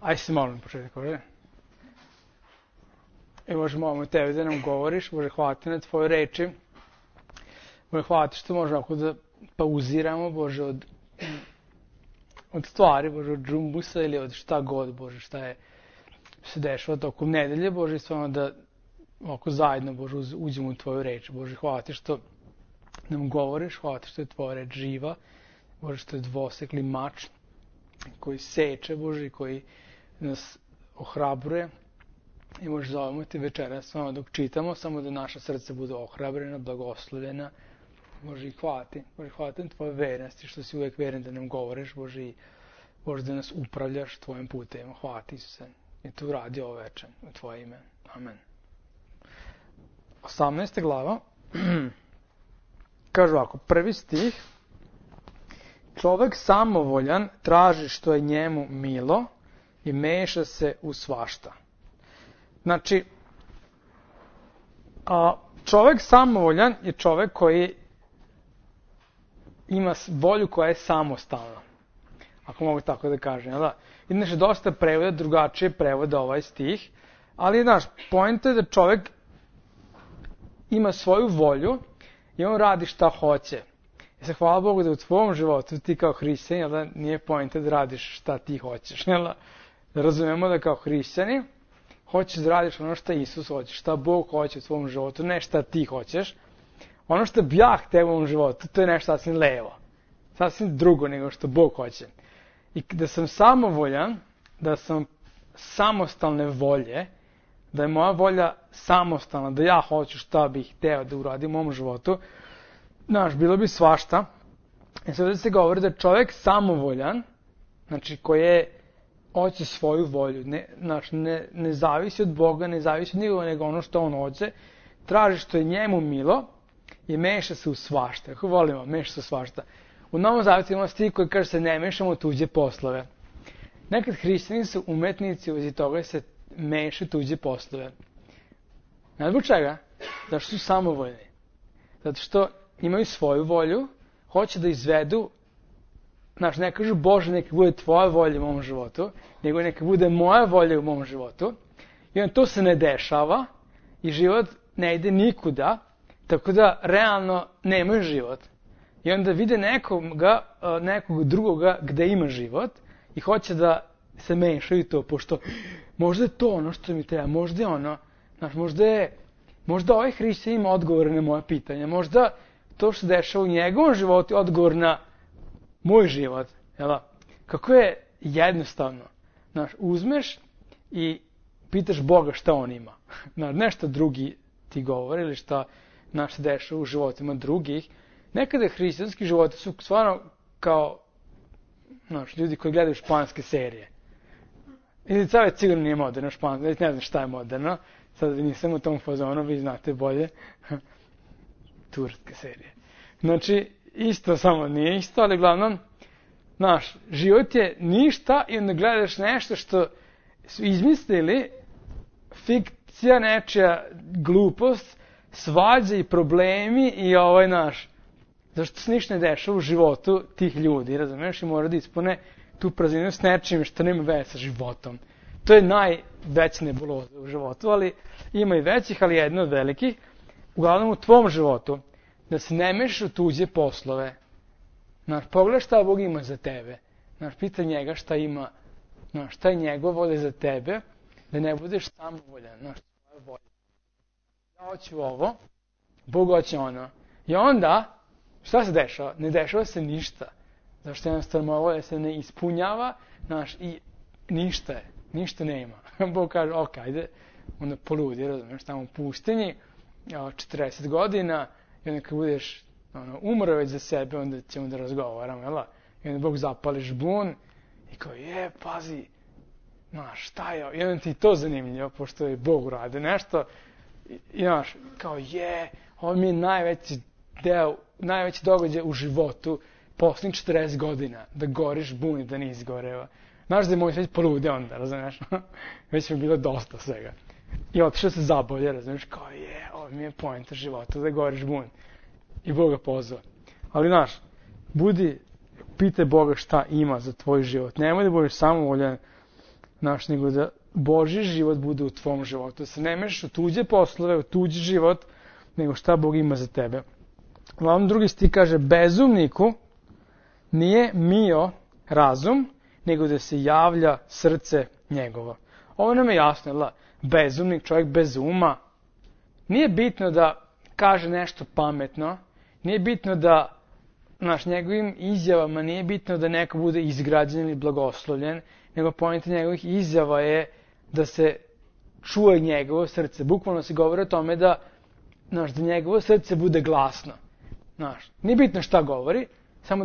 Aj se molim početku, Bože. I Bože, molimo Tebe da nam govoriš, Bože, hvala Ti na Tvoje reči. Bože, hvala Ti što možemo ako da pauziramo, Bože, od stvari, Bože, od džumbusa ili od šta god, Bože, šta je se dešava tokom nedelje, Bože, i stvarno da ovako zajedno, Bože, uđemo u Tvoju reč. Bože, hvala Ti što nam govoriš, hvala Ti što je Tvoja reč živa, Bože, što je dvosekli mač koji seče, Bože, i koji nas ohrabruje. I Bože, zovemo Ti večeras, samo dok čitamo, samo da naša srca bude ohrabrena, blagoslovljena. Bože, i hvala Ti. Bože, hvala Ti na Tvoje vernosti, što si uvek veren da nam govoriš, Bože, i Bože, da nas upravljaš Tvojim putevima. Hvala Ti, Isuse. I to uradi ovo večer u Tvoje ime. Amen. 18. glava. Kaže ovako, prvi stih. Čovek samovoljan traži što je njemu milo i meša se u svašta. Znači, čovek samovoljan je čovek koji ima volju koja je samostalna. Ako mogu tako da kažem, jel da? Inače, dosta prevoda, drugačije prevoda ovaj stih, ali, znaš, poenta je da čovek ima svoju volju i on radi šta hoće. I se hvala Bogu da u tvom životu ti kao hrišćanin, jel da, nije poenta da radiš šta ti hoćeš, jel da? Da razumemo da kao hrišćani hoćeš da radiš ono što Isus hoće, šta Bog hoće u tvom životu, ne šta ti hoćeš. Ono što bi ja hteo u ovom životu, to je nešto sasvim levo. Sasvim drugo nego što Bog hoće. I da sam samovoljan, da sam samostalne volje, da je moja volja samostalna, da ja hoću šta bih hteo da uradim u mom životu, znaš, bilo bi svašta. I sad da se govori da čovjek samovoljan, znači koji hoće svoju volju, ne zavisi od Boga, ne zavisi od nikoga, nego ono što on hoće, traži što je njemu milo i meša se u svašta. Kako volimo, meša se u svašta. U Novom Zavjetu ima stih koji kaže se ne mešamo u tuđe poslove. Nekad hrišćani su umetnici u toga se meša tuđe poslove. Ne zbog čega? Zato što su samovoljni. Zato što imaju svoju volju, hoće da izvedu, znaš, ne kažu Bože neka bude tvoja volja u mom životu, nego neka bude moja volja u mom životu. I onda to se ne dešava i život ne ide nikuda, tako da realno nemaju život. I onda vide nekog drugoga gde ima život i hoće da se mešaju to, pošto možda je to ono što mi treba, možda je ono, znaš, možda ovaj hrišćan ima odgovore na moje pitanje, možda to što se dešava u njegovom životu je odgovor na moj život, jel? Kako je jednostavno, znaš, uzmeš i pitaš Boga šta on ima, znaš, nešto drugi ti govori ili šta se dešava u životima drugih. Nekada hrišćanski životi su stvarno kao, znaš, ljudi koji gledaju španske serije. Ili sad već sigurno nije moderno špansko, ne znam šta je moderno, sad nisam u tom fazonu, vi znate bolje. Turske serije. Znači, isto samo nije isto, ali uglavnom, znaš, život je ništa i onda gledaš nešto što su izmislili, fikcija, nečija glupost, svađe i problemi i naš, zašto se ništa ne dešava u životu tih ljudi, razumiješ, i mora da ispune tu prazninu s nečim što nema veze sa životom. To je najveća nebuloza u životu, ali ima i većih, ali jedna od velikih. Uglavnom u tvom životu, da se ne mešaš u tuđe poslove. Znaš, pogledaj šta Bog ima za tebe. Znaš, pita njega šta ima, znaš, šta je njegova volja za tebe, da ne budeš samovoljan, znaš, tvoja volja. Ja hoću ovo, Bog hoće ono. I onda, šta se dešava? Ne dešava se ništa. Zašto jednostavno moja volja se ne ispunjava, znaš, i ništa nema. Bog kaže, ok, ajde, onda poludi, razumiješ, tamo u pustinji, 40 godina, i onda kad budeš umro već za sebe, onda ćemo da razgovaramo, jel? I onda Bog zapali žbun i kao, pazi, znaš, šta je, i onda ti to zanimljivo, pošto je Bog urade nešto, i znaš, kao ovo mi je najveći događaj u životu, posljednjih 40 godina, da gori žbun i da ne izgoreva. Znaš da je moj već polude onda, razumiješ? Već mi je bilo dosta svega. I otišao se zabolje, razumiješ, kao ovo mi je poenta života, da gori žbun. I Bog ga pozva. Ali, znaš, pitaj Boga šta ima za tvoj život. Nemoj da budeš samovoljan nego da Božji život bude u tvom životu. Da se ne mešaš u tuđe poslove, u tuđi život, nego šta Bog ima za tebe. Uglavnom drugi stih kaže, bezumniku nije mio razum, nego da se javlja srce njegovo. Ovo nam je jasno, jel da? Bezumnik, čovjek bez uma. Nije bitno da kaže nešto pametno, nije bitno da njegovim izjavama nije bitno da neko bude izgrađen ili blagoslovljen, nego poenta njegovih izjava je da se čuje njegovo srce. Bukvalno se govori o tome da njegovo srce bude glasno. Nije bitno šta govori, samo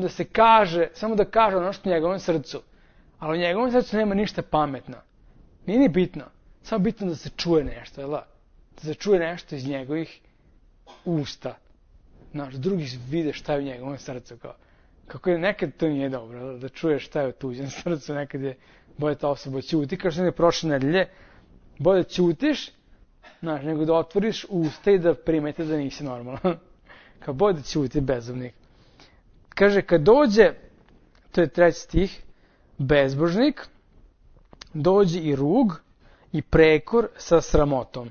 da kaže ono što u njegovom srcu. Ali u njegovom srcu nema ništa pametno. Nije ni bitno. Samo bitno da se čuje nešto, jel da? Da se čuje nešto iz njegovih usta. Drugi vide šta je u njegovom srcu. Kako je, nekad to nije dobro, da čuješ šta je u tuđem srcu, nekad je bolje ta osoba ćuti, kao što je prošle nedelje, bolje ćutiš, nego da otvoriš usta i da primete da nisi normalan. Kao bolje da ćuti bezumnik. Kaže, kad dođe, to je 3. stih, bezbožnik, dođe i rug i prekor sa sramotom.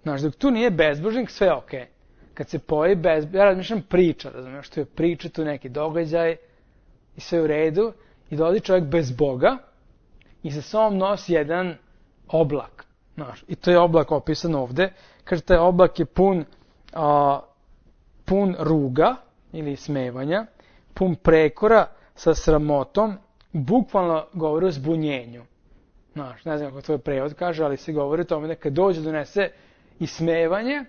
Dok tu nije bezbožnik, sve je okej. Kad se pojavi ja razmišljam priča, razumiješ, što je priča, tu neki događaj i sve u redu, i dolazi čovjek bez Boga i sa sobom nosi jedan oblak. I to je oblak opisan ovde. Kaže, taj oblak je pun ruga ili smevanja, pun prekora sa sramotom, bukvalno govori o zbunjenju. Ne znam kako to je prevod kaže, ali se govori o tome da kad dođe donese i smevanje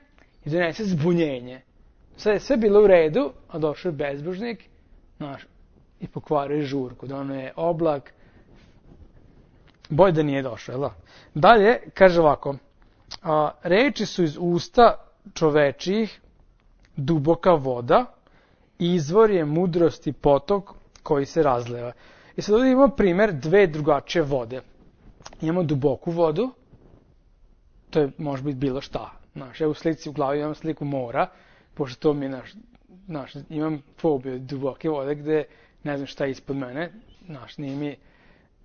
i donese zbunjenje. Sve bilo u redu, a došao je bezbožnik i pokvario žurku. Da ono je oblak, bolje da nije došao, jel da? Dalje, kaže ovako, reči su iz usta čovečijih duboka voda, izvor je mudrosti potok koji se razleva. I sad ovdje imamo primjer dve drugačije vode. Imamo duboku vodu, to je može biti bilo šta. Ja u slici u glavi imam sliku mora, pošto to mi je imam fobiju duboke vode gde ne znam šta je ispod mene.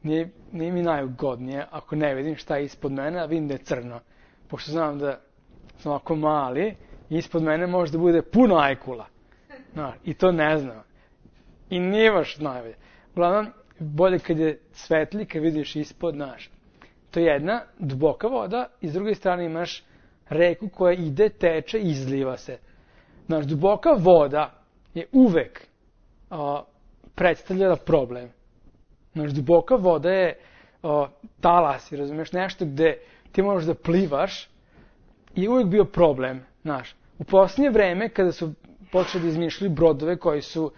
Nije mi najugodnije ako ne vidim šta je ispod mene, a vidim da je crno. Pošto znam da sam ovako mali, ispod mene može da bude puno ajkula. I to ne znam. I nije baš najbolje. Uglavnom, bolje kad je svetli, kad vidiš ispod, to je jedna duboka voda i s druge strane imaš reku koja ide, teče i izliva se. Duboka voda je uvek predstavljala problem. Duboka voda je talas, razumiješ, nešto gde ti možeš da plivaš i uvek bio problem. U posljednje vreme, kada su počeli da izmišljaju brodove koji su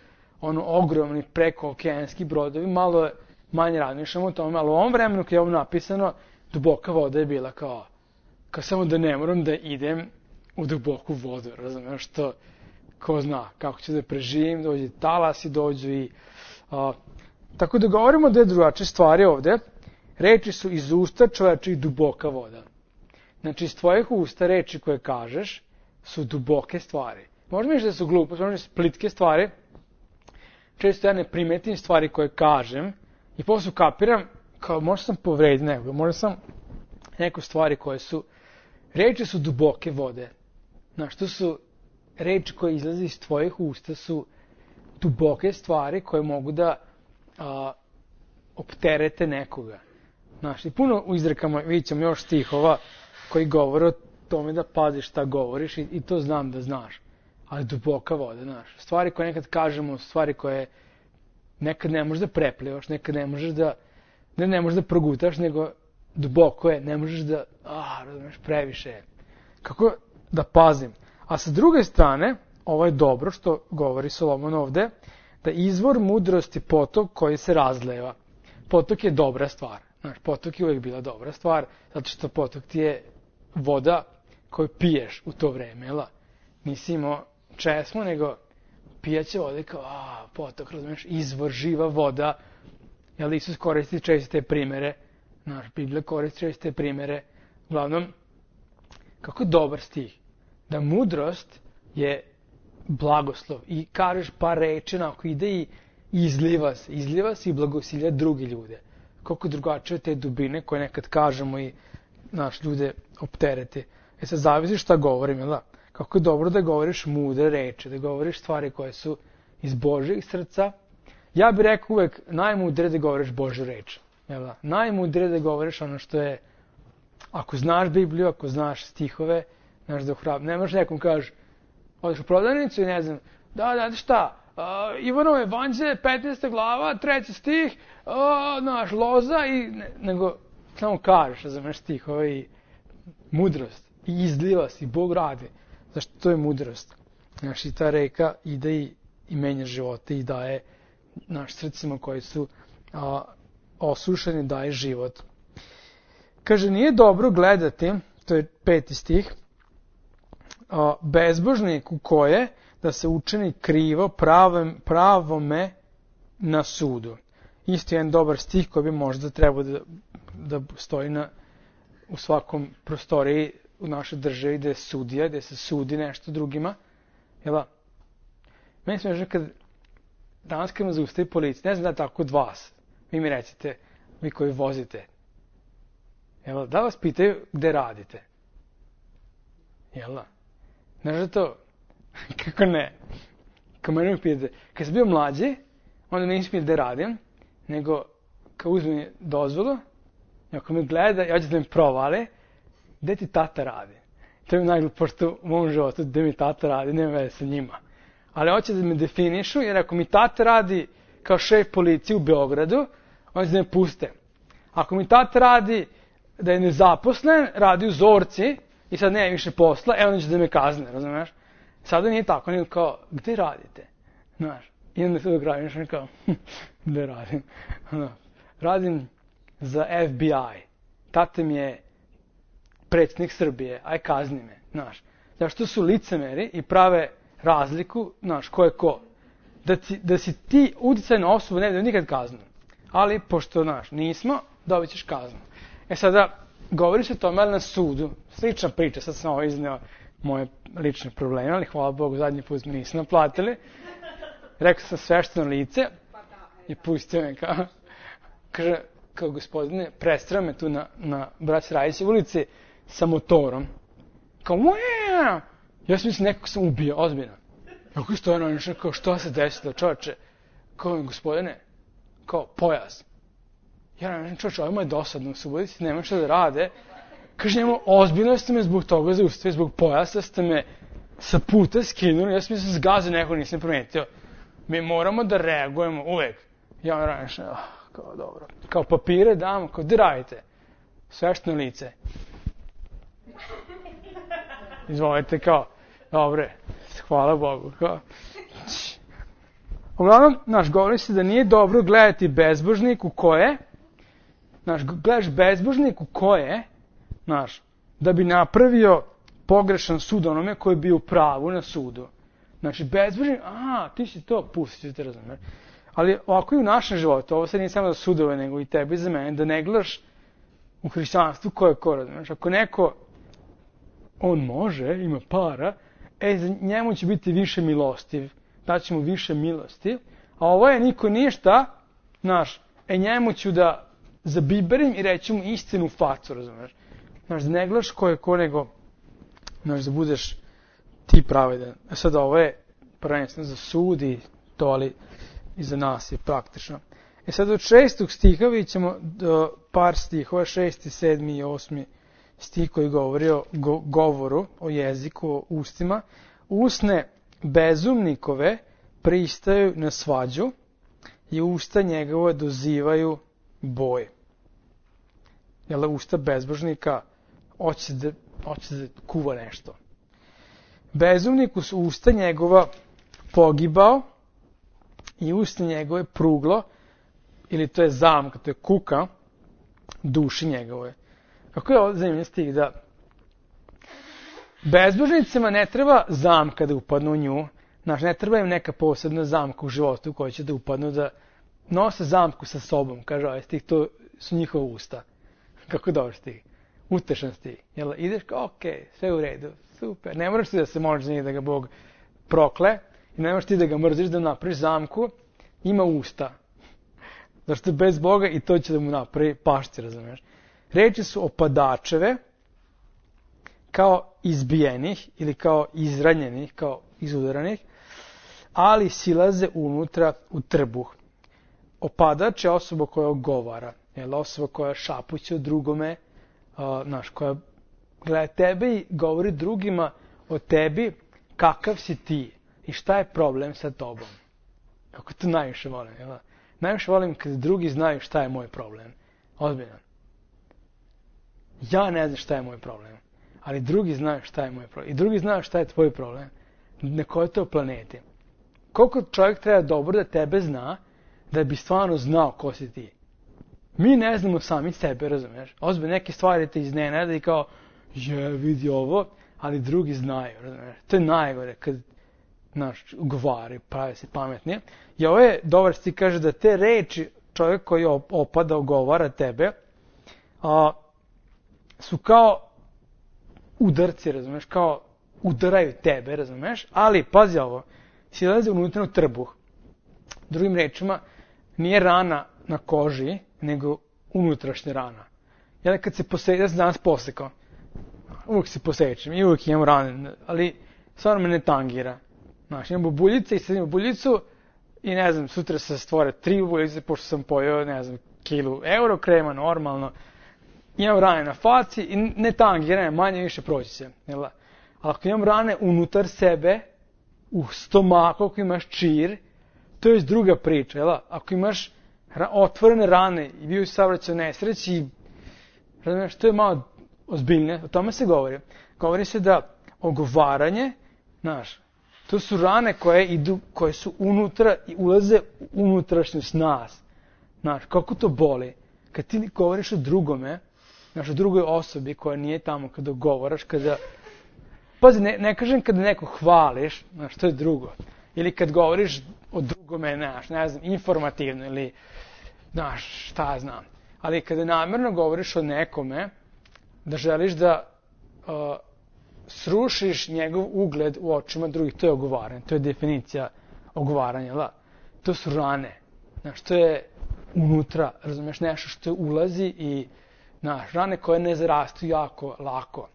ogromni prekookeanski brodovi, malo manje razmišljamo o tome, ali u ovom vremenu kad je ovo napisano, duboka voda je bila kao samo da ne moram da idem u duboku vodu, razumiješ, što ko zna kako ću da preživim, dođe talasi, dođu i... Tako da govorimo da je drugačije stvari ovde. Reči su iz usta čovečih duboka voda. Znači, iz tvojih usta reči koje kažeš su duboke stvari. Možda misliš da su glupe, možda su plitke stvari. Često ja ne primetim stvari koje kažem i posle kapiram kao možda sam povredio nekoga, možda sam neko stvari koje su... Reči su duboke vode. To su reči koje izlaze iz tvojih usta su duboke stvari koje mogu da opterete nekoga. I puno u izrekama vidjet ćemo još stihova koji govore o tome da paziš šta govoriš i to znam da znaš. Ali duboka voda, stvari koje nekad kažemo, stvari koje nekad ne možeš da preplivaš, nekad ne možeš da, ne možeš da progutaš, nego duboko je, ne možeš da, razumeš, previše je. Kako da pazim? A sa druge strane, ovo je dobro što govori Solomon ovde, da izvor mudrosti potok koji se razleva. Potok je dobra stvar. Potok je uvijek bila dobra stvar, zato što potok ti je voda koju piješ u to vreme, jel? Nisi imao česmu, nego pijaće vode kao, potok, razumiješ, izvor, živa voda. Jel, Isus koristi često te primere, Biblija koristi često te primere. Uglavnom, kako dobar stih, da mudrost je blagoslov i kažeš par reči, onako ide i izliva se i blagosilja drugi ljude. koliko drugačije te dubine koje nekad kažemo i ljude optereti. Sad zavisi šta govorim, jel da? Kako je dobro da govoriš mudre reči, da govoriš stvari koje su iz Božjeg srca. Ja bih rekao uvek najmudrije da govoriš Božju reč. Jel da? Najmudrije da govoriš ono što je, ako znaš Bibliju, ako znaš stihove, znaš da ohrabri. Ne možeš nekom kažeš, odeš u prodavnicu i ne znam, da šta, Ivanovo evanđelje, 15. glava, 3. stih, loza, nego samo kažeš, razumeš, stihove i mudrost. I izliva se, i Bog radi. Zašto to je mudrost? I ta reka ide i menja živote i daje srcima koji su osušeni, daje život. Kaže, nije dobro gledati, to je 5. stih, bezbožniku koje da se učini krivo pravome na sudu. Isto jedan dobar stih koji bi možda trebao da stoji u svakom prostoriji u našoj državi gde je sudija, gde se sudi nešto drugima. Jel' meni smiješno danas kad me zaustavi policija, ne znam da je tako od vas, vi mi recite, vi koji vozite, jel' da vas pitaju gde radite? Jel' znaš da to? Kako ne? Kad mene pitate, kad sam bio mlađi, onda me nisam gde radim, nego kad uzme dozvolu, i ako me gleda, ja ću da me provale, gde ti tata radi? To je najglupošte u mom životu, gde mi tata radi, nema veze sa njima. Ali hoće da me definišu, jer ako mi tata radi kao šef policije u Beogradu, oni će da me puste. Ako mi tata radi da je nezaposlen, radi u Zorci i sad nema više posla, oni će da me kazne, razumiješ? Sada nije tako, nego kao, gde radite? Znaš, i onda se dok radim, kao, gde radim? Radim za FBI. Tata mi je predsjednik Srbije, aj kazni me, znaš. Zašto su licemeri i prave razliku, znaš, ko je ko. Da si ti uticajna osoba, ne da nikad kaznu. Ali, pošto, znaš, nismo, dobit ćeš kaznu. Sada, govori se o tome, ali na sudu, slična priča, sad sam ovo izneo moje lične probleme, ali hvala Bogu, zadnji put me nisu naplatili. Rekao sam svešteno lice i pustio me kaže, kao gospodine, prestrao me tu na Braća Rajića ulici sa motorom. Kao, ja sam mislim nekako sam ubio, ozbiljno. Kako što je kao, što se desilo, čoveče? Kao, gospodine, kao, pojas. Ja ne čoveče, ovo je dosadno, su budici, nema što da rade. Kaže njemu, ozbiljno ste me zbog toga zaustavili, zbog pojasa ste me sa puta skinuli, ja sam mislim zgazio neko, nisam primetio. Mi moramo da reagujemo uvek. Ja ranije, kao dobro. Kao papire damo, kao gde radite? Svešteno lice. Izvolite, kao, dobre, hvala Bogu, kao. Uglavnom, govori se da nije dobro gledati bezbožniku koje, gledaš bezbožniku koje, da bi napravio pogrešan sud onome koji je bio u pravu na sudu. Znači, bezbožnik, ti si to, pustit ću te razumjeti. Ali ovako i u našem životu, ovo sad nije samo za sudove, nego i tebi i za mene, da ne gledaš u hrišćanstvu ko je ko, razumiješ. Ako neko, on može, ima para, za njemu će biti više milostiv, daći mu više milosti, a ovo je niko ništa, njemu ću da zabiberim i reći mu istinu u facu, razumiješ. Da ne gledaš ko je ko, nego, da budeš ti pravedan. Sada ovo je prvenstveno za sud i to, ali i za nas je praktično. Sada od 6. stiha vidjet ćemo par stihova, 6., 7. i 8. stih koji govori o govoru, o jeziku, o ustima. Usne bezumnikove pristaju na svađu i usta njegove dozivaju boj. Jel, usta bezbožnika hoće da kuva nešto. Bezumniku su usta njegova pogibao i usta njegove pruglo, ili to je zamka, to je kuka duši njegove. Kako je ovo zanimljiv stih, da bezbožnicima ne treba zamka da upadnu u nju, ne treba im neka posebna zamka u životu u kojoj će da upadnu, da nose zamku sa sobom, kaže ovaj stih, to su njihova usta. Kako je dobar stih, utešan stih. Jel, ideš kao, okej, sve u redu, super, ne moraš ti da se možeš za njih da ga Bog prokle, i ne moraš ti da ga mrziš, da napraviš zamku, ima usta. Zašto je bez Boga i to će da mu napravi pašci, razumeš? Reči su opadačeve, kao izbijenih ili kao izranjenih, kao izudaranih, ali silaze unutra u trbuh. Opadač je osoba koja ogovara, osoba koja šapuće o drugome, koja gleda tebe i govori drugima o tebi kakav si ti i šta je problem sa tobom. Kako to najviše volim, jel? Najviše volim kad drugi znaju šta je moj problem. Ozbiljno. Ja ne znam šta je moj problem, ali drugi znaju šta je moj problem. I drugi znaju šta je tvoj problem. Na kojoj to planeti. Koliko čovjek treba dobro da tebe zna, da bi stvarno znao ko si ti. Mi ne znamo sami sebe, razumiješ? Ozbiljno, neke stvari te iznenade i kao, vidi ovo, ali drugi znaju, razumiješ? To je najgore, kad, govori, pravi se pametnije. I ovo je dobar stih, kaže da te reči čovjek koji opada, ogovara tebe, su kao udarci, razumiješ? Kao udaraju tebe, razumiješ? Ali, pazi ovo, silaze unutra u trbuh. Drugim rečima, nije rana na koži, nego unutrašnja rana. Ja kad se ja sam danas posekao, uvijek se posečem i uvijek imam rane, ali stvarno me ne tangira. Imam bubuljice i sadim bubuljicu i ne znam, sutra se stvore 3 bubuljice, pošto sam pojeo, ne znam, kilu euro krema, normalno. Imam rane na faci i ne tangira, manje više proći će. Ali ako imam rane unutar sebe, u stomaku, ako imaš čir, to je druga priča, jel? Ako imaš otvorene rane i bio si saobraćaj u nesreći, razumiješ, to je malo ozbiljnije, o tome se govori. Govori se da ogovaranje, to su rane koje su unutra i ulaze u unutrašnjost nas. Kako to boli? Kad ti govoriš o drugome, o drugoj osobi koja nije tamo, kada govaraš, pazi, ne kažem kada neko hvališ, to je drugo. Ili kad govoriš o drugome, ne znam, informativno ili, šta znam. Ali kada namjerno govoriš o nekome, da želiš da srušiš njegov ugled u očima drugih, to je ogovaranje, to je definicija ogovaranja, da. To su rane, to je unutra, razumiješ, nešto što ulazi i, rane koje ne zarastu jako lako.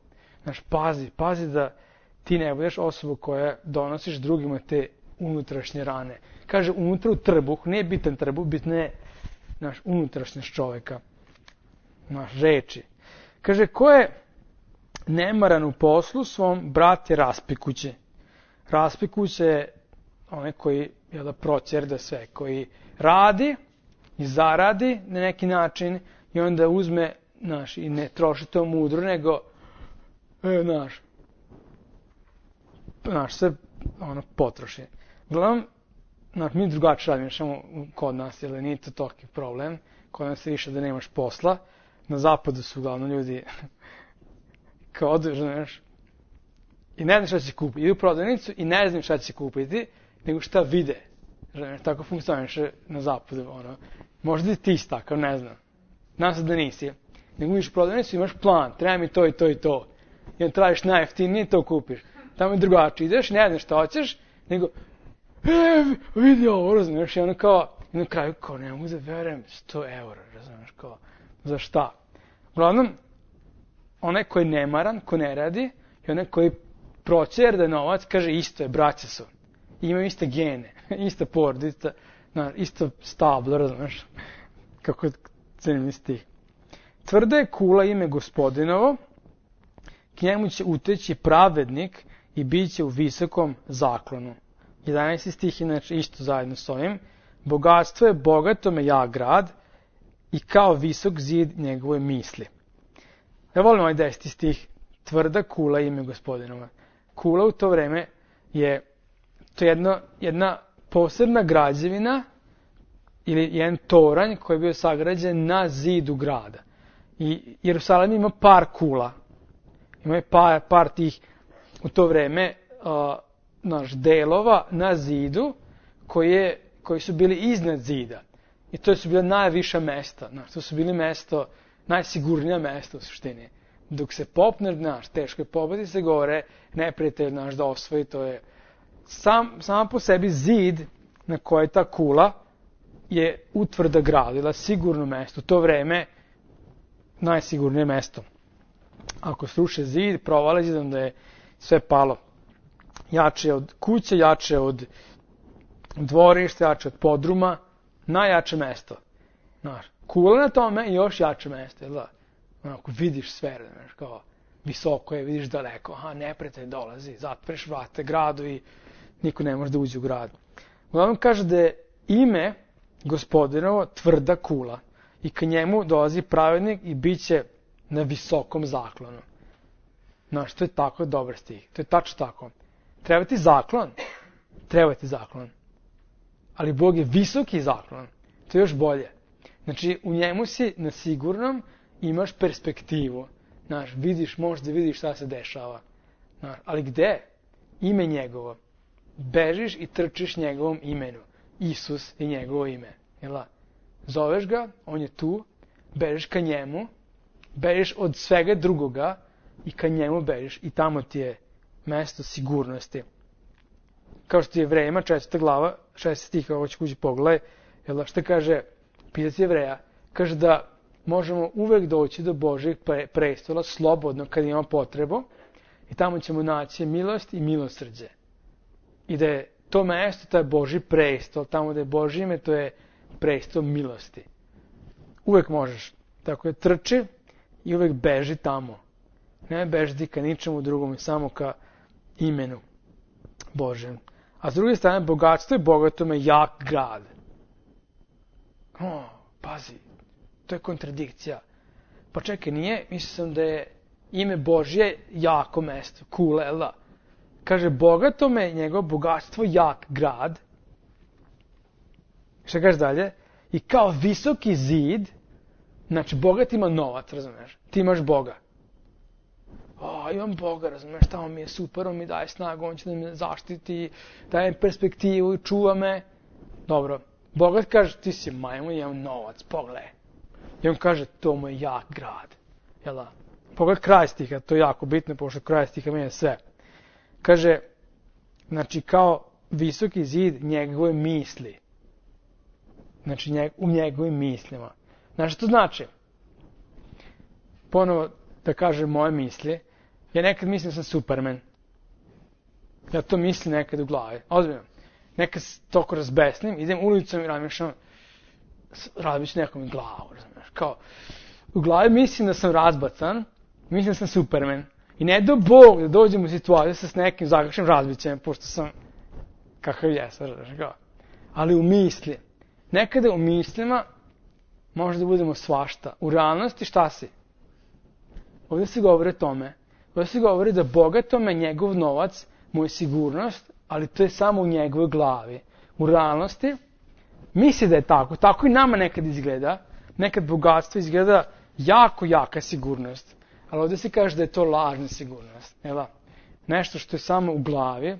Pazi da ti ne budeš osoba koja donosiš drugima te unutrašnje rane. Kaže, unutra u trbuh, nije bitan trbuh, bitno je unutrašnjost čovjeka. Reči. Kaže, ko je nemaran u poslu svom, brat je raspikuće. Raspikuće je onaj koji procjerda sve, koji radi i zaradi na neki način i onda uzme, i ne troši to mudro, nego sve potroši. Uglavnom, mi drugačije radimo, samo kod nas, jer nije to toliki problem. Kod nas je više da nemaš posla. Na zapadu su uglavnom ljudi kao odeš, i ne znam šta će kupiti. Idu u prodavnicu i ne znam šta će kupiti, nego šta vide. Tako funkcioniše na zapadu. Možda ti isti takav, ne znam. Znam se da nisi. Nego vidiš u prodavnicu i imaš plan, treba mi to i to i to. I onda tražiš najjeftinije i to kupiš. Tamo je drugačije. Ideš, ne znaš šta hoćeš, nego vidi ovo, razumiješ, i ono kao, i na kraju kao, ne mogu da verujem, 100 eura, razumiješ, kao, za šta? Uglavnom, onaj koji je nemaran, ko ne radi, i onaj koji procjerde novac, kaže, isto je, braća su. I imaju iste gene, ista porodica, isto stablo, razumiješ, kako cenim stih. Tvrda je kula ime Gospodinovo, k njemu će uteći pravednik i bit će u visokom zaklonu. 11. stih, inače isto zajedno s ovim. Bogatstvo je bogatome ja grad i kao visok zid njegove misli. Ja volim ovaj 10. stih. Tvrda kula ime Gospodinova. Kula u to vreme je to jedna posebna građevina ili jedan toranj koji je bio sagrađen na zidu grada. I Jerusalim ima par kula. Ima par tih u to vreme delova na zidu koji su bili iznad zida. I to su bila najviša mesta. To su bili najsigurnija mesta u suštini. Dok se popneš, teško je pobiti se gore, neprijatelj da osvoji, to je samo po sebi zid na kojoj je ta kula, je utvrda gradila sigurno mesto. U to vreme najsigurnije mesto. Ako sruše zid, provale zid, onda je sve palo. Jače od kuće, jače od dvorišta, jače od podruma, najjače mesto. Znaš, kula na tome i još jače mesto, jel da? Ako vidiš sve, znaš, kao visoko je, vidiš daleko, aha, neprijatelj dolazi, zatvoreš vrate gradu i niko ne može da uđe u grad. Uglavnom kaže da je ime Gospodinovo tvrda kula i ka njemu dolazi pravednik i bit će na visokom zaklonu. Znaš, to je tako dobar stih, to je tačno tako. Treba ti zaklon? Treba ti zaklon. Ali Bog je visoki zaklon, to je još bolje. Znači, u njemu si na sigurnom, imaš perspektivu. Znaš, vidiš, možda vidiš šta se dešava. Znaš, ali gde? Ime njegovo. Bežiš i trčiš njegovom imenu. Isus je njegovo ime. Jel? Zoveš ga, on je tu, bežiš ka njemu, bežiš od svega drugoga i ka njemu bežiš i tamo ti je mesto sigurnosti. Kao što je Jevrejima, 4. glava, 6. stih, ovo ću kući pogledaj, jel, šta kaže pisac Jevreja? Kaže da možemo uvek doći do Božjeg prestola slobodno kad imamo potrebu i tamo ćemo naći milost i milosrđe. I da je to mesto, taj Božji prestol, tamo da je Božje ime, to je prestol milosti. Uvek možeš. Tako je, trči i uvek beži tamo. Ne beži ka ničemu drugom, samo ka imenu Božjem. A s druge strane, bogatstvo je bogatome jak grad. Pazi, to je kontradikcija. Pa čekaj, nije, mislio sam da je ime Božje jako mesto, kulela. Kaže, bogatome je njegovo bogatstvo jak grad. Šta kaže dalje? I kao visoki zid, znači bogat ima novac, razumeš? Ti imaš Boga. Imam Boga, razumeš, tamo mi je super, on mi daje snagu, on će da me zaštiti, daje perspektivu i čuva me. Dobro, bogat kaže, ti si majmun, imam novac, pogledaj. I on kaže, to mu je jak grad. Jel' Pogledaj kraj stiha, to je jako bitno, pošto kraj stiha mijenja sve. Kaže, znači kao visoki zid njegove misli. Znači u njegovim mislima. Znači što to znači? Ponovo da kažem moje misli. Ja nekad mislim da sam Superman. Ja to mislim nekad u glavi. Ozbiljno. Nekad toliko razbesnim, idem ulicom i razmišljam, razbit ću nekom glavu, razumiješ. Kao, u glavi mislim da sam razbacan, mislim da sam Superman. I ne do Bog da dođem u situaciju sa s nekim zakašnim razbićem, pošto sam kakav jesam, razumiješ. Ali u misli. Nekada u mislima može da budemo svašta. U realnosti šta si? Ovdje se govori o tome. Ovdje se govori da bogatome njegov novac mu je sigurnost, ali to je samo u njegovoj glavi. U realnosti misli da je tako. Tako i nama nekad izgleda. Nekad bogatstvo izgleda jako jaka sigurnost. Ali ovdje se kaže da je to lažna sigurnost. Nešto što je samo u glavi,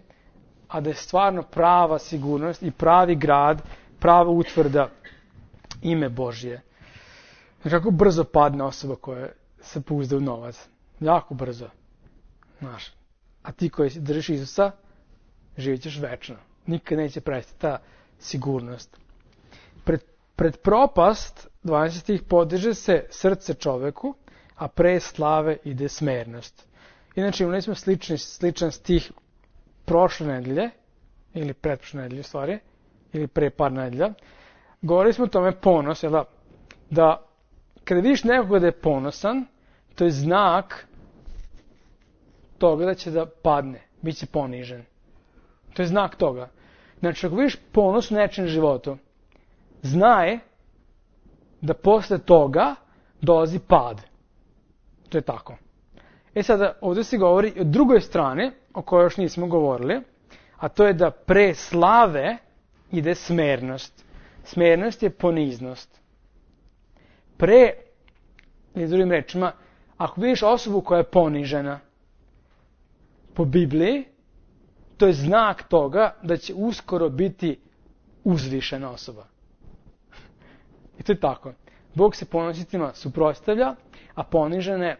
a da je stvarno prava sigurnost i pravi grad, prava utvrda ime Božje. Kako brzo padne osoba koja se pouzda u novac. Jako brzo. Znaš. A ti koji držiš Isusa, živit ćeš večno. Nikad neće prestati ta sigurnost. Pred propast, 12 stih, podiže se srce čoveku, a pre slave ide smernost. Inače, imali smo sličan stih prošle nedelje, ili pretprošle nedelje, u stvari, ili pre par nedelja. Govorili smo o tome ponos, da kada vidiš nekoga da je ponosan, to je znak toga da će da padne, bit će ponižen. To je znak toga. Znači, ako vidiš ponos u nečem životu, znaj da posle toga dolazi pad. To je tako. Sada, ovdje se govori o drugoj strani, o kojoj još nismo govorili, a to je da pre slave ide smernost. Smernost je poniznost. Ili drugim rečima, ako vidiš osobu koja je ponižena po Bibliji, to je znak toga da će uskoro biti uzvišena osoba. I to je tako. Bog se ponositima suprotstavlja, a ponižene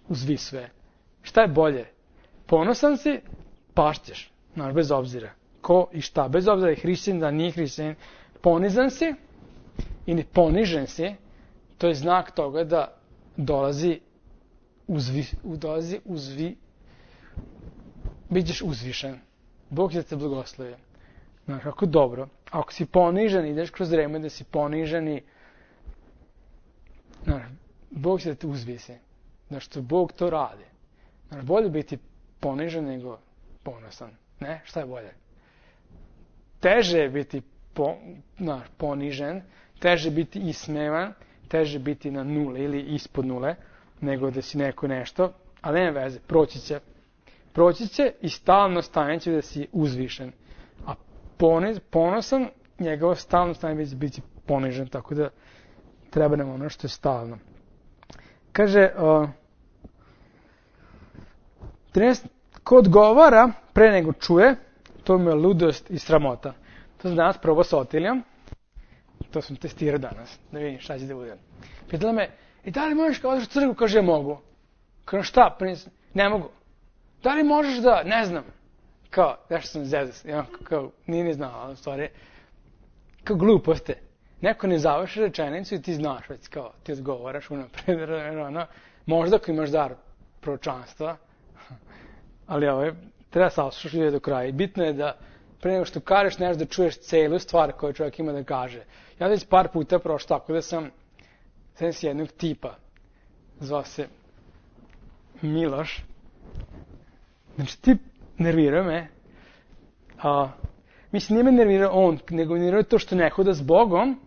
uzvisuje. Šta je bolje? Ponosan si, pašćeš, bez obzira. Ko i šta, bez obzira je hrišćanin, da nije hrišćanin, ponizan si ili ponižen si, to je znak toga da bit ćeš uzvišen. Bog će te blagoslovi. Znaš, kako dobro. Ako si ponižen, ideš kroz vreme da si ponižen i znaš, Bog će te uzvisi. Znaš, što Bog to radi. Znaš, bolje biti ponižen nego ponosan. Ne? Šta je bolje? Teže je biti ponižen, teže biti ismevan, teže biti na nule ili ispod nule, nego da si neko nešto, ali nema veze, proći će i stalno stanje će da si uzvišen. A ponosan, njegovo stalno stanje će biti ponižen, tako da treba nam ono što je stalno. Kaže, 13, ko odgovara pre nego čuje, to mi je ludost i sramota. To sam danas probao sa Otilijom, to sam testirao danas, da vidim šta će da budem. Pitala me, i da li možeš kao odeš u crkvu? Kaže, ja mogu. Kaže, šta? Ne mogu. Da li možeš da, ne znam, kao, nešto sam zezas, kao, nije ni znao, ali u stvari, kao gluposte. Neko ne završi rečenicu i ti znaš već, kao, ti odgovaraš unapred, možda ako imaš dar proročanstva, ali treba saslušati ljude do kraja. I bitno je da pre nego što kažeš nešto da čuješ celu stvar koju čovjek ima da kaže. Ja već par puta prošao tako da sam s jednog tipa, zvao se Miloš. Znači, tip nervirao me. Mislim, nije me nervirao on, nego nervirao to što ne hoda s Bogom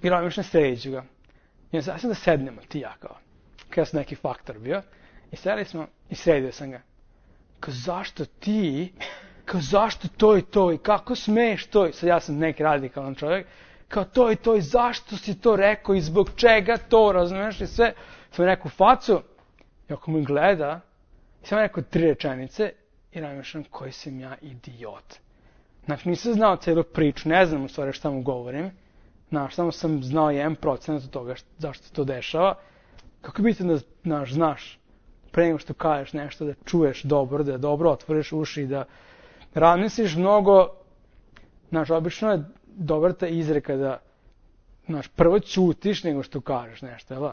i razmišljam sređu ga. I sad sam da sednemo, ti ja kao. Kada sam neki faktor bio. I sedeli smo i sredio sam ga. Kao, zašto ti, kao, zašto to i to i kako smeš to i sad ja sam neki radikalan čovjek. Kao, to i to i zašto si to rekao i zbog čega to, razumiješ i sve. Sam rekao facu i ako mi gleda, i sam rekao 3 rečenice i razmišljam koji sam ja idiot. Znači nisam znao cijelu priču, ne znam u stvari šta mu govorim. Znaš, samo sam znao 1% od toga zašto se to dešava. Kako biti da znaš pre nego što kažeš nešto da čuješ dobro, da dobro otvoriš uši, da razmisliš mnogo. Znaš, obično je dobra ta izreka da prvo ćutiš nego što kažeš nešto, jel?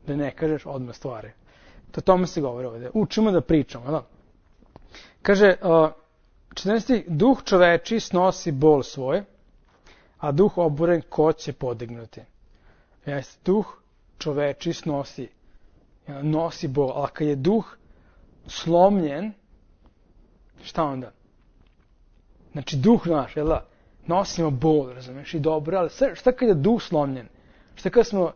Da ne kažeš odmah stvari. To tome se govori ovdje. Učimo da pričamo, jel? Kaže, 14. Duh čoveči snosi bol svoj, a duh oburen ko će podignuti. Jeste, duh čoveči nosi bol, a kad je duh slomljen, šta onda? Znači, duh naš, jel da? Nosimo bol, razumiješ, i dobro, ali šta kad je duh slomljen? Šta kad smo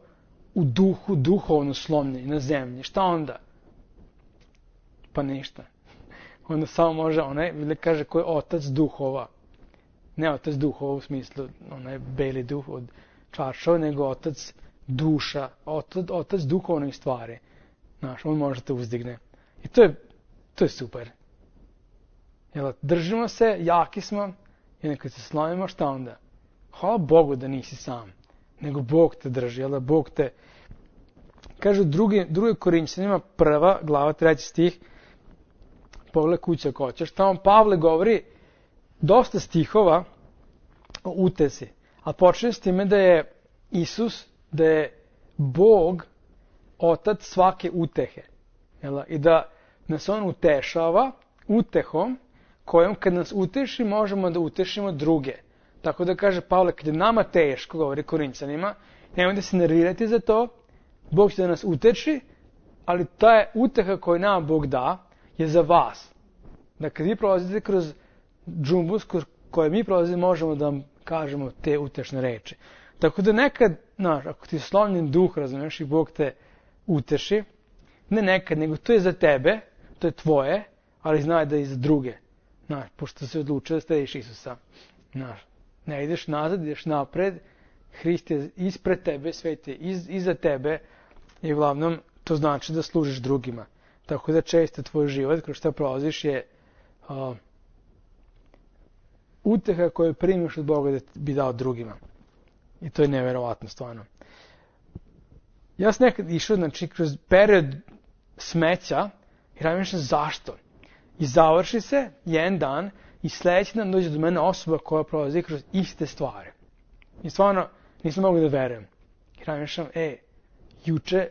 u duhu, duhovno slomljeni na zemlji, šta onda? Pa ništa. Onda samo može ili kaže ko je otac duhova. Ne otac duhova u smislu, onaj beli duh od čaršava, nego otac duša, otac duhovnih stvari. Znaš, on može te uzdigne. I to je super. Jel, držimo se, jaki smo, i nekad se slomimo, šta onda? Hvala Bogu da nisi sam, nego Bog te drži, jel da Bog te... Kaže druge Korinćanima, 1. glava, 3. stih, pogled kuća ako hoćeš, tamo Pavle govori dosta stihova o utesi, a počne s time da je Isus, da je Bog otac svake utehe. Jel? I da nas on utešava utehom kojom kad nas uteši možemo da utešimo druge. Tako da kaže Pavle, kad je nama teško, govori Korinćanima, nemojte se nervirati za to, Bog će da nas uteši, ali ta uteha koju nama Bog da je za vas. Da kad vi prolazite kroz džumbus koje mi prolazimo, možemo da vam kažemo te utešne reči. Tako da nekad, ako ti je slomljen duh, razumiješ, i Bog te uteši, ne nekad, nego to je za tebe, to je tvoje, ali znaj da je i za druge. Pošto se odlučio da slediš Isusa. Ne ideš nazad, ideš napred, Hrist je ispred tebe, svet je iza tebe i uglavnom to znači da služiš drugima. Tako da često tvoj život, kroz što prolaziš, je uteha koju primiš od Boga da bi dao drugima. I to je neverovatno stvarno. Ja sam nekad išao, kroz period smeća i razmišljam zašto. I završi se jedan dan i sljedeći dan dođe do mene osoba koja prolazi kroz iste stvari. I stvarno nisam mogu da verujem. I razmišljam, juče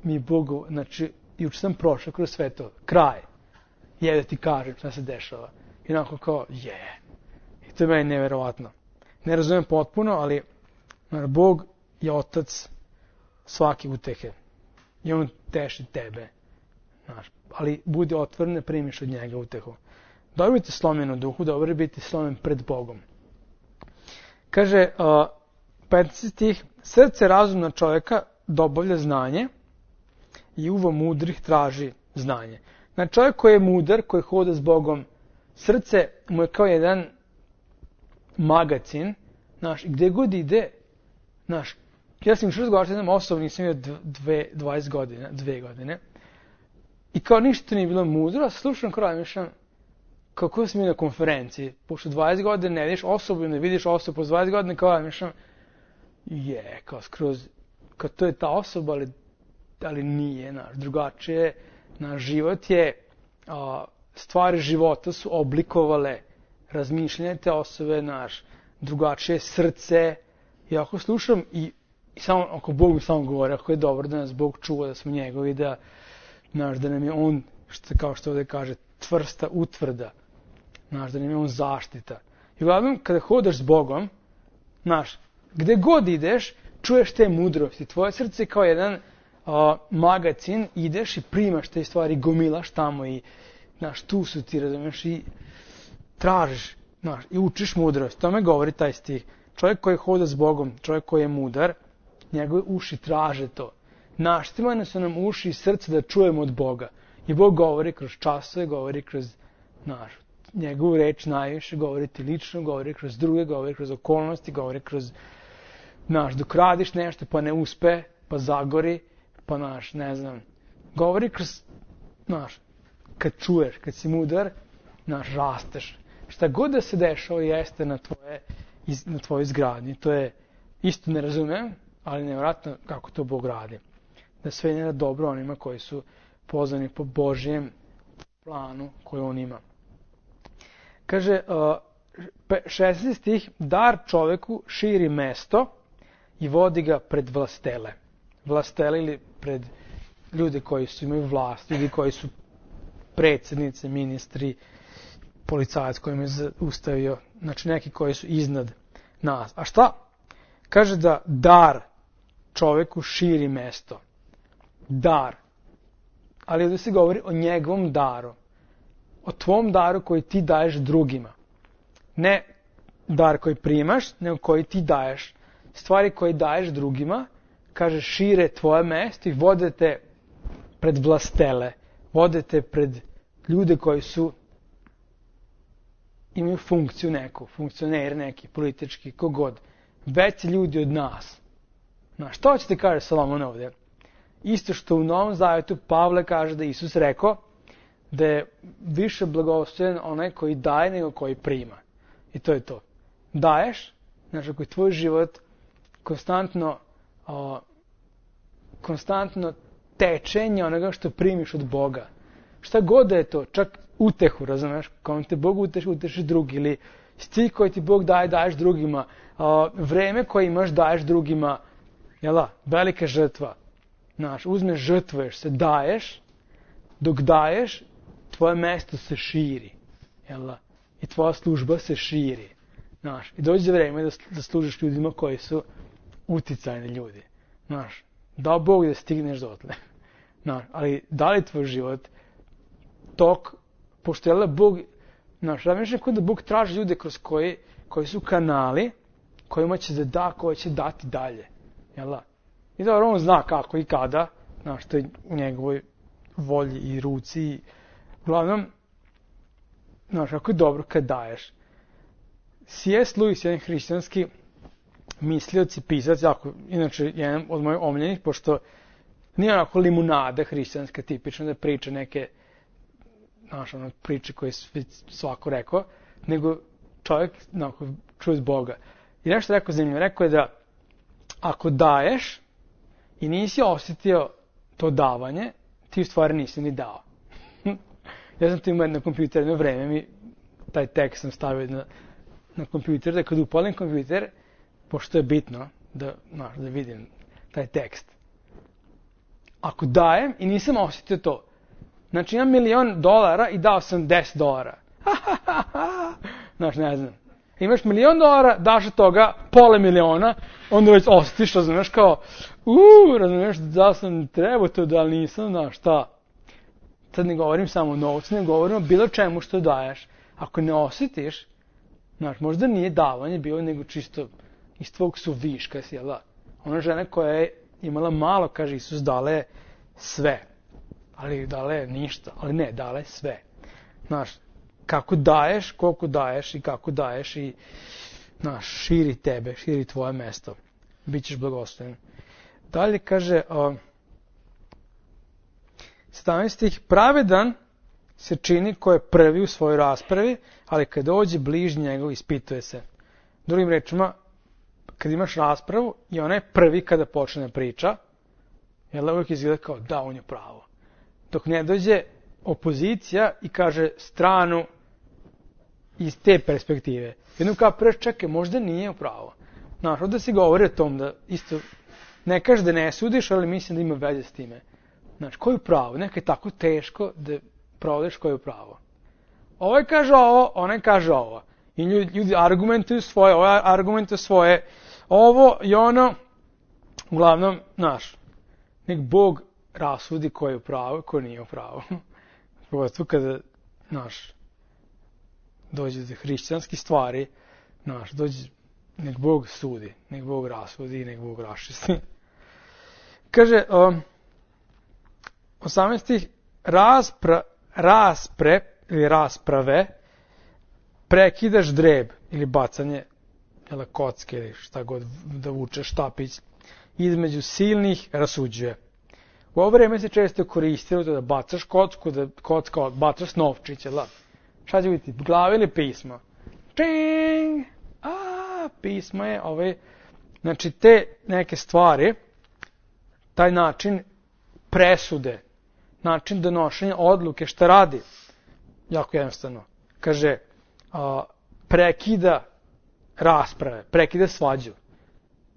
mi Bog, znači, juče sam prošao kroz sve to, kraj. Da ti kažem šta se dešava. I onako kao, I to je meni neverovatno. Ne razumijem potpuno, ali Bog je otac svake utehe. I on teši tebe. Ali budi otvoren, ne primiš od njega utehu. Dobro biti slomljen u duhu, dobro je biti slomljen pred Bogom. Kaže, 15 stih, srce razumna čovjeka dobavlja znanje i uvo mudrih traži znanje. Znači, čovjek koji je mudar, koji hoda s Bogom, srce mu je kao jedan magacin, i gdje god ide, ja sam još razgovarao s jednom osobom, nisam imao 2 godine, i kao ništa nije bilo mudro, a slušam kraj, mišljam, kako sam mi na konferenciji, pošto 20 godina ne vidiš osobu, ne vidiš osobu po 20 godina, kao mišljam, kao skroz, kao to je ta osoba, ali nije, drugačije, život je, stvari života su oblikovale razmišljanje te osobe, drugačije srce, i ako slušam i samo, ako Bog mi samo govori, ako je dobro da nas Bog čuva, da smo njegovi, da nam je on, kao što ovdje kaže, tvrsta utvrda, da nam je on zaštita. I uglavnom, kada hodaš s Bogom, gde god ideš, čuješ te mudrosti. Tvoje srce je kao jedan magacin, ideš i primaš te stvari, gomilaš tamo i, tu su ti, razumiješ, i tražiš, i učiš mudrost. To me govori taj stih. Čovjek koji hoda s Bogom, čovjek koji je mudar, njegove uši traže to. Naštimane su nam uši i srce da čujemo od Boga. I Bog govori kroz časove, govori kroz njegovu reč najviše, govori ti lično, govori kroz druge, govori kroz okolnosti, govori kroz, dok radiš nešto pa ne uspe, pa zagori, pa ne znam, govori kroz, kad čuješ, kad si mudar, rasteš. Šta god da se dešava jeste na tvojoj izgradnji. To je, isto ne razumijem, ali nevjerojatno kako to Bog radi. Da sve ne da dobro onima koji su pozvani po Božjem planu koji on ima. Kaže, 16 stih, dar čoveku širi mesto i vodi ga pred vlastele. Vlastele ili pred ljude koji su imaju vlast, ljudi koji su predsjednice, ministri, policajac koji me zaustavio, znači neki koji su iznad nas. A šta? Kaže da dar čoveku širi mesto. Dar. Ali ovdje se govori o njegovom daru. O tvom daru koji ti daješ drugima. Ne dar koji primaš, nego koji ti daješ. Stvari koje daješ drugima, kaže, šire tvoje mesto i vode te pred vlastele. Vode te pred ljude koji su imaju funkciju neku, funkcioner neki, politički, kogod. Veći ljudi od nas. Što ćete kaže Salomon ovdje? Isto što u Novom Zavjetu Pavle kaže da Isus rekao da je više blagosloven onaj koji daje nego koji prima. I to je to. Daješ, znači ako je tvoj život konstantno tečenje onoga što primiš od Boga. Šta god da je to, čak utehu, razumiješ? Kao te Bog uteši drugi, ili cilj koji ti Bog daje, daješ drugima. Vreme koje imaš, daješ drugima. Velika žrtva. Uzmeš, žrtvuješ se, daješ, dok daješ, tvoje mesto se širi. I tvoja služba se širi. I dođe vreme da služiš ljudima koji su uticajni ljudi. Dao Bog da stigneš dotle. Ali da li tvoj život tok, pošto je Bog, razmišljam da Bog traži ljude kroz koji su kanali, kojima će da da, koji će dati dalje. I dobro, on zna kako i kada, što je u njegovoj volji i ruci. Uglavnom, kako je dobro kad daješ. C.S. Lewis, jedan hrišćanski mislioc i pisac, inače jedan od mojih omiljenih, pošto nije onako limunada hrišćanska tipično da priča neke priče koje svako rekao, nego čovjek čuje od Boga. I nešto rekao zanimljivo, rekao je da ako daješ i nisi osjetio to davanje, ti u stvari nisi ni dao. Ja sam to imao na kompjuteru jedno vreme, mi taj tekst sam stavio na kompjuter, da kad upalim kompjuter, pošto je bitno da vidim taj tekst. Ako dajem i nisam osjetio to, znači imam $1.000.000 i dao sam $10. Znaš, ne znam. Imaš $1.000.000, daš od toga $500.000, onda već osjetiš, razumiješ, kao, razumiješ, da sam trebao to, da li nisam, znaš, šta. Sad ne govorim samo o novcu, ne govorim o bilo čemu što daješ. Ako ne osjetiš, znaš, možda nije davanje bilo, nego čisto iz tvog suviška si, jel da? Ona žena koja je imala malo, kaže Isus, dala je sve. Ali dala je ništa, ali ne, dala je sve. Znaš, kako daješ, koliko daješ i kako daješ i, znaš, širi tebe, širi tvoje mesto. Bićeš blagosloven. Dalje kaže, 17. pravedan se čini ko je prvi u svojoj raspravi, ali kad dođe bližnji njegov ispituje se. Drugim rečima, kad imaš raspravu i ona je prvi kada počne priča, jel uvijek izgleda kao da, on je pravo. Dok ne dođe opozicija i kaže stranu iz te perspektive. Jednom kao preš, čekaj, možda nije u pravo. Znaš, ovdje se govori o tom da isto, ne kaže da ne sudiš, ali mislim da ima veze s time. Znači, ko je u pravu? Neka je tako teško da provodiš ko je u pravu. Ovaj kaže ovo, onaj kaže ovo. I ljudi argumentuju svoje, ovaj argumentuje svoje, ovo i ono. Uglavnom, znaš, nek Bog rasudi ko je u pravu i ko nije u pravu. Pogotovo kada, znaš, dođe do hrišćanskih stvari, znaš, dođe, nek Bog sudi, nek Bog rasudi i nek Bog raščisti. Kaže, 18. rasprave prekidaš dreb ili bacanje kocke ili šta god da vučeš štapić između silnih rasuđuje. U ovo vreme se često koristilo da bacaš kocku, da kocka bacaš novčiće, šta će biti, glave ili pismo? Čing! Pismo je znači te neke stvari, taj način presude, način donošenja odluke, šta radi? Jako jednostavno. Kaže, prekida rasprave, prekida svađu.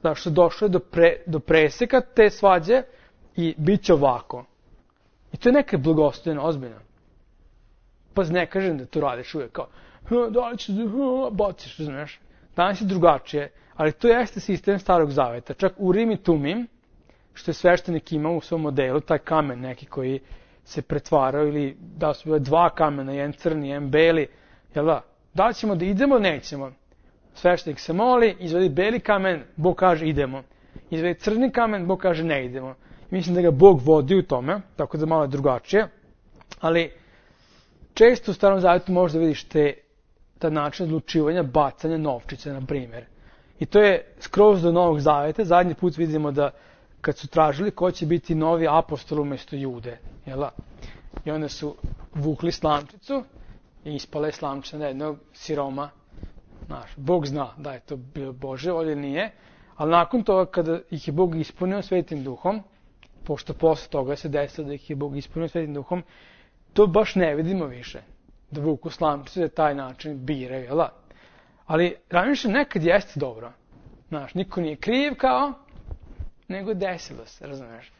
Zato što došlo je do preseka te svađe i bit će ovako. I to je neka blagostojna, ozbiljno. Pa ne kažem da to radiš uvijek kao, da li ćeš baciš, znaš. Danas je drugačije, ali to jeste sistem Starog Zaveta. Čak Urim i Tumim, što je sveštenik imao u svom modelu, taj kamen neki koji se pretvarao, ili da su bile dva kamena, jedan crni, jedan beli, jel da li ćemo da idemo, nećemo. Sveštenik se moli, izvedi beli kamen, Bog kaže idemo. Izvedi crni kamen, Bog kaže ne idemo. Mislim da ga Bog vodi u tome, tako da malo je drugačije, ali često u Starom Zavetu možda vidiš ta način odlučivanja, bacanja novčića, na primjer. I to je skroz do Novog Zaveta. Zadnji put vidimo da kad su tražili ko će biti novi apostol umjesto Jude, jel? I onda su vukli slamčicu i ispala je slamčica na jednog siroma. Znaš, Bog zna da je to bilo Bože, ovdje nije, ali nakon toga kada ih je Bog ispunio Svetim Duhom, pošto posle toga se desilo da ih je Bog ispunio Svetim Duhom, to baš ne vidimo više. Da vuku slamčicu, da taj način biraju, jel? Ali razmišljam, nekad jeste dobro. Znaš, niko nije kriv kao, nego desilo se, razumiješ.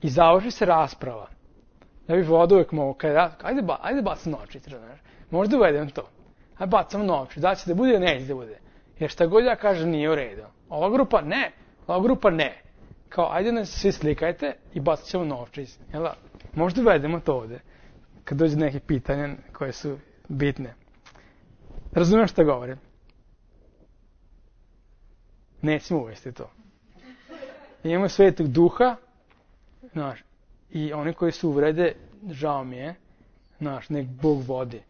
I završi se rasprava. Ja bih voda uvijek mogu, ajde bacam novčić, razumiješ. Možda uvedem to. Ajde bacam novčić, da će da bude, neće da bude. Jer šta god ja kažem nije u redu. Ova grupa ne. Kao, ajde nas svi slikajte i bacit ćemo novčić, jel? Možda uvedemo to ovdje. Kad dođe neke pitanja koje su bitne. Razumiješ šta govorim? Nećemo uvesti to. Imamo Svetog Duha, znaš, i oni koji su uvrede, žao mi je, znaš, nek Bog vodi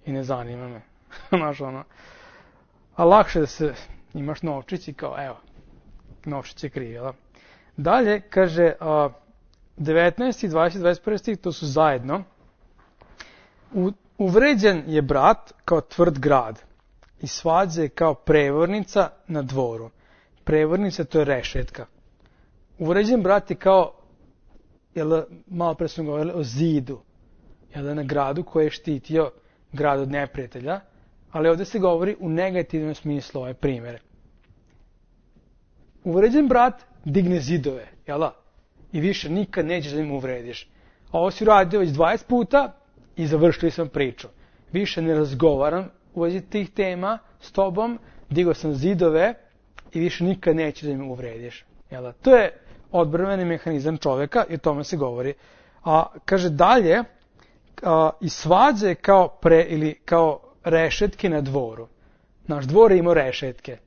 i ne zanima me. Znaš, a lakše da se imaš novčić i kao, evo, novčić je kriv, jel? Dalje, kaže, 19. 20. 21. stih, to su zajedno. Uvređen je brat kao tvrd grad i svađa je kao prevornica na dvoru. Prevornica, to je rešetka. Uvređen brat je kao, malo pre smo govorili o zidu, na gradu koji je štitio grad od neprijatelja, ali ovdje se govori u negativnom smislu ovaj primjer. Uvređen brat digne zidove, jel da? I više nikad nećeš da im uvrediš. A ovo si uradio već 20 puta i završili sam priču. Više ne razgovaram u vezi tih tema s tobom, digao sam zidove i više nikad nećeš da im uvrediš. Jel da? To je odbrambeni mehanizam čovjeka i o tome se govori. A kaže dalje, i svađe kao rešetke na dvoru. Naš dvor je imao rešetke.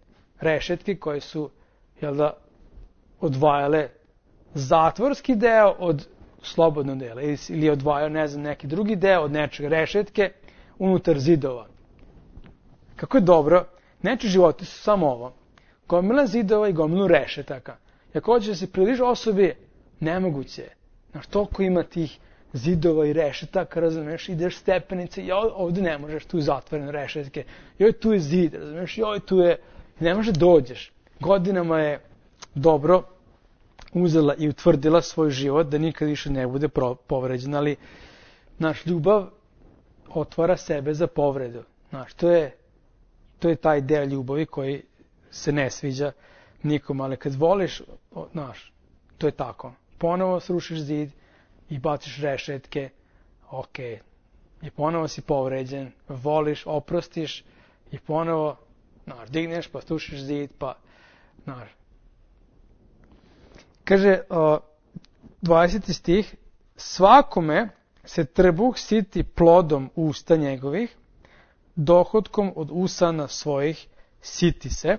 Rešetke koje su, jel da, odvajale zatvorski deo od slobodnog dela. Ili odvajao, ne znam, neki drugi deo od nečega, rešetke unutar zidova. Kako je dobro, neči životi su samo ovo. Gomila zidova i gomilu rešetaka. Ako hoćeš da se približi osobi, nemoguće je. Znaš, toliko ima tih zidova i rešetaka, razumeš, ideš stepenice, ovdje ne možeš, tu je zatvorene rešetke, joj, tu je zid, razumeš, joj, tu je, ne može dođeš. Godinama je dobro uzela i utvrdila svoj život da nikad više ne bude povređen, ali naš ljubav otvara sebe za povredu. Znaš, to je taj deo ljubavi koji se ne sviđa nikom, ali kad voliš, znaš, to je tako. Ponovo srušiš zid i baciš rešetke, ok, i ponovo si povređen, voliš, oprostiš i ponovo, znaš, digneš pa srušiš zid, pa, znaš. Kaže, 20. stih, svakome se trbuh siti plodom usta njegovih, dohotkom od usana svojih siti se.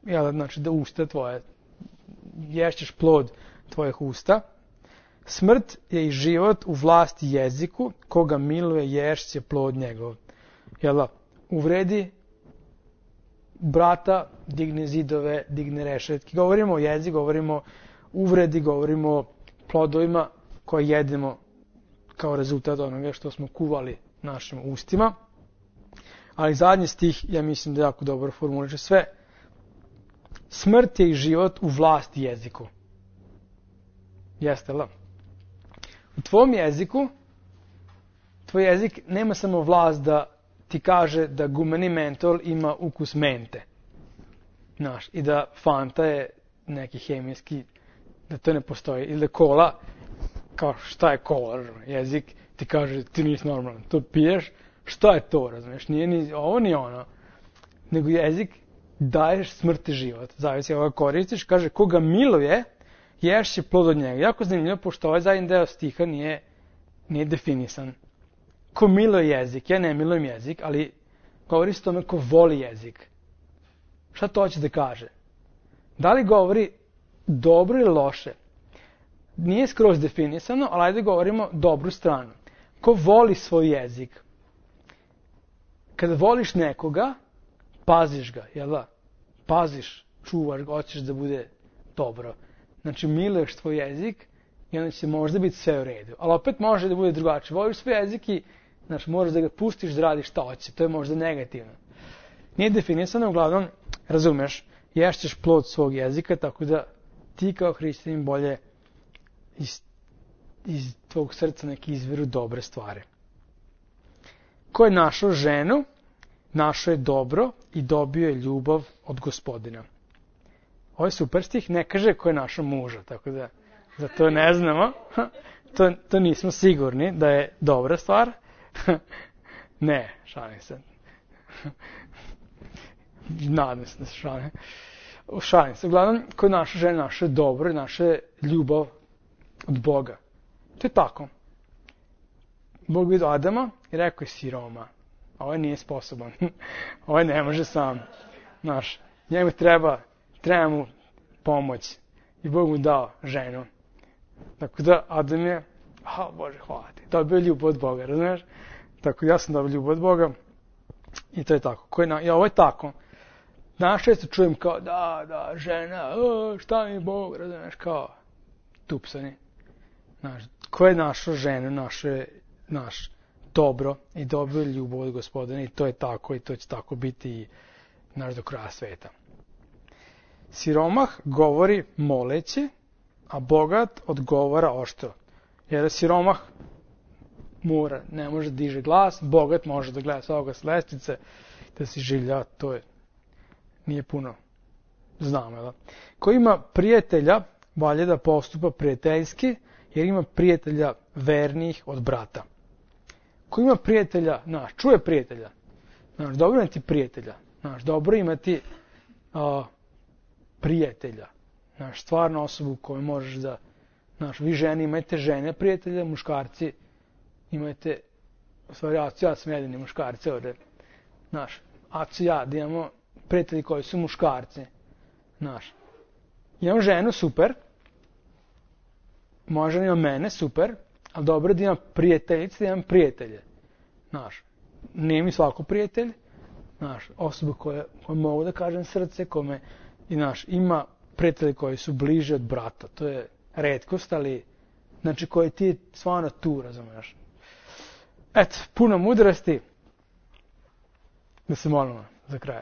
Jel, znači da usta tvoje, ješćeš plod tvojih usta. Smrt je i život u vlasti jeziku, koga miluje ješće plod njegov. Jel, uvredi brata, digne zidove, digne rešetke. Govorimo o jeziku, govorimo o uvredi, govorimo o plodovima koje jedemo kao rezultat onoga što smo kuvali našim ustima. Ali zadnji stih, ja mislim da jako dobro formuliše sve. Smrt je i život u vlasti jeziku. Jeste li? U tvom jeziku, tvoj jezik nema samo vlast da ti kaže da gumeni mentol ima ukus mente. Znaš, i da Fanta je neki hemijski, da to ne postoji. Ili da kola, kao šta je kola, jezik ti kaže ti nisi normalan, to piješ, šta je to, razumiješ, nije ni ovo ni ono. Nego jezik daješ smrt i život. Zavisi ovoga koristiš, kaže koga miluje, ješće plod od njega. Jako zanimljivo, pošto ovaj zadnji deo stiha nije definisan. Ko miluje jezik, ja ne milujem jezik, ali govori se tome ko voli jezik. Šta to hoće da kaže? Da li govori dobro ili loše? Nije skroz definisano, ali ajde govorimo dobru stranu. Ko voli svoj jezik? Kada voliš nekoga, paziš ga, jel da? Paziš, čuvaš ga, hoćeš da bude dobro. Znači, miluješ tvoj jezik i onda će možda biti sve u redu. Ali opet može da bude drugačije. Voliš svoj jezik i znači, moraš da ga pustiš da radiš šta hoće. To je možda negativno. Nije definisano, uglavnom, razumeš, ješćeš plod svog jezika, tako da ti kao hrišćanin bolje iz tvog srca neki izviru dobre stvari. Ko je našao ženu, našao je dobro i dobio je ljubav od Gospodina. Ovo je super stih, ne kaže ko je našao muža, tako da za to ne znamo. To nismo sigurni da je dobra stvar. Ne, šalim se. Nadam se da se šalim. Šalim se. Uglavnom, ko je naša žena, naše dobro i naše ljubav od Boga. To je tako. Bog vidio Adama i rekao je siroma. Ovaj nije sposoban. Ovaj ne može sam. Znaš, njemu treba mu pomoć. I Bog mu dao ženu. Tako da Adam je, Bože, hvala ti, dobio ljubav od Boga, razumiješ? Tako ja sam dobio ljubav od Boga i to je tako. I ovo je tako. Danas često čujem kao, da, žena, šta mi Bog, razumiješ, kao tupsani. Znaš, ko je našao ženu, naš dobro i dobio ljubav od Gospodina i to je tako i to će tako biti i do kraja sveta. Siromah govori moleći, a bogat odgovara oštro. Jer siromah ne može da diže glas, bogat može da gleda s ovoga s lestvice, da si življa, nije puno. Znamo, da? Ko ima prijatelja, valje da postupa prijateljski, jer ima prijatelja vernijih od brata. Ko ima prijatelja, čuje prijatelja, dobro imati prijatelja, dobro imati prijatelja, stvarno osobu koju možeš da, vi žene imate žene prijatelja, muškarci imate, u stvari, ja sam jedini muškarci ovdje, da imamo prijatelji koji su muškarci, imam ženu, super, moja žena ima mene, super, ali dobro da imam prijateljice, da imam prijatelje, nije mi svako prijatelj, osoba koja mogu da kažem srce, kome, ima prijatelji koji su bliže od brata, to je retkost, ali, koji ti je stvarno tu, razumiješ. Eto, puno mudrosti, da se molimo za kraj.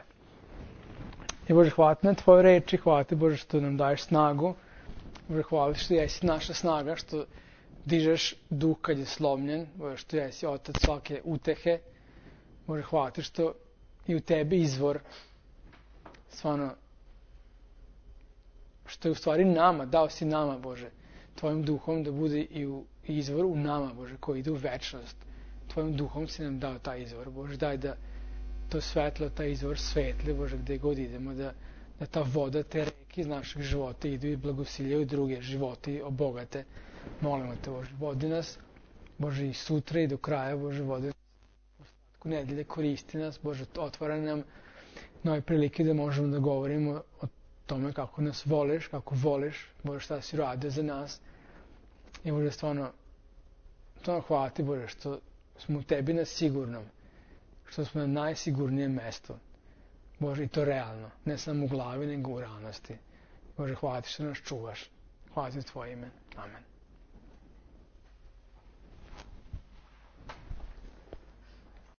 I Bože, hvala ti na tvoje reči, hvala ti Bože što nam daješ snagu, Bože, hvala što jesi naša snaga, što dižeš duh kad je slomljen, Bože, što jesi otac svake utehe, Bože, hvala ti što i u tebi izvor, stvarno, što je u stvari nama, dao si nama, Bože, tvojim duhom da bude i izvor u nama, Bože, koji ide u večnost. Tvojim duhom si nam dao taj izvor, Bože, daj da to svetlo, taj izvor svetle, Bože, gde god idemo, da ta voda, te reke iz našeg života idu i blagosiljaju druge živote i obogate. Molimo te, Bože, vodi nas, Bože, i sutra i do kraja, Bože, vodi nas u ostatku nedelje, koristi nas, Bože, otvara nam nove prilike da možemo da govorimo o tome kako nas voliš, kako voliš, Bože, šta si radio za nas. I Bože, stvarno hvala ti, Bože, što smo u tebi na sigurnom, što smo na najsigurnijem mestu. Bože, i to realno, ne samo u glavi, nego u realnosti. Bože, hvala ti što nas čuvaš. Hvala ti u tvoje ime. Amen.